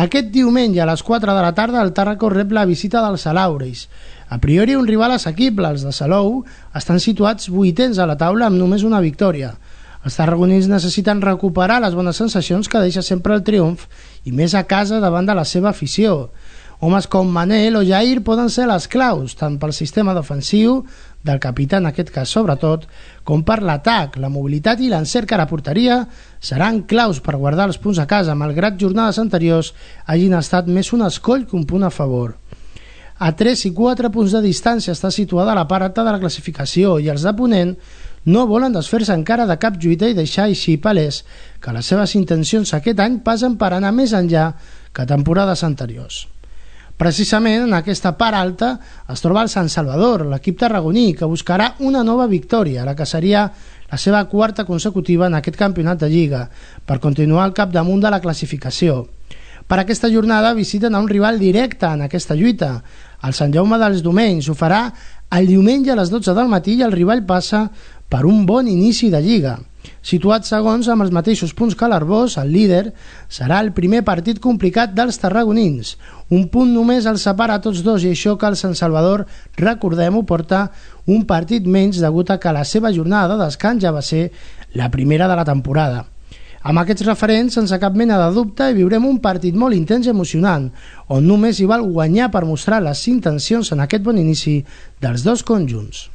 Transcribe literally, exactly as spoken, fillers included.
Aquest diumenge a les quatre de la tarda el Tàrraco rep la visita dels Salauris. A priori un rival assequible, els de Salou estan situats vuitens a la taula amb només una victòria. Els tarragonins necessiten recuperar les bones sensacions que deixa sempre el triomf i més a casa davant de la seva afició. Homes com Manel o Jair poden ser les claus, tant pel sistema defensiu, del capità en aquest cas sobretot, com per l'atac. La mobilitat i l'encert a la porteria seran claus per guardar els punts a casa, malgrat jornades anteriors hagin estat més un escoll que un punt a favor. A tres i quatre punts de distància està situada la part alta de la classificació i els de Ponent no volen desfer-se encara de cap lluita i deixar així palès que les seves intencions aquest any passen per anar més enllà que temporades anteriors. Precisament en aquesta part alta es troba el Sant Salvador, l'equip tarragoní, que buscarà una nova victòria, la que seria la seva quarta consecutiva en aquest campionat de Lliga, per continuar al capdamunt de la classificació. Per aquesta jornada visiten a un rival directe en aquesta lluita, el Sant Jaume dels Domenys. Ho farà el diumenge a les dotze del matí i el rival passa per un bon inici de Lliga. Situat segons amb els mateixos punts que l'Arbós, el líder serà el primer partit complicat dels tarragonins. Un punt només els separa a tots dos i això que el Sant Salvador, recordem-ho, porta un partit menys degut a que la seva jornada de descans ja va ser la primera de la temporada. Amb aquests referents, sense cap mena de dubte, hi viurem un partit molt intens i emocionant, on només hi val guanyar per mostrar les intencions en aquest bon inici dels dos conjunts.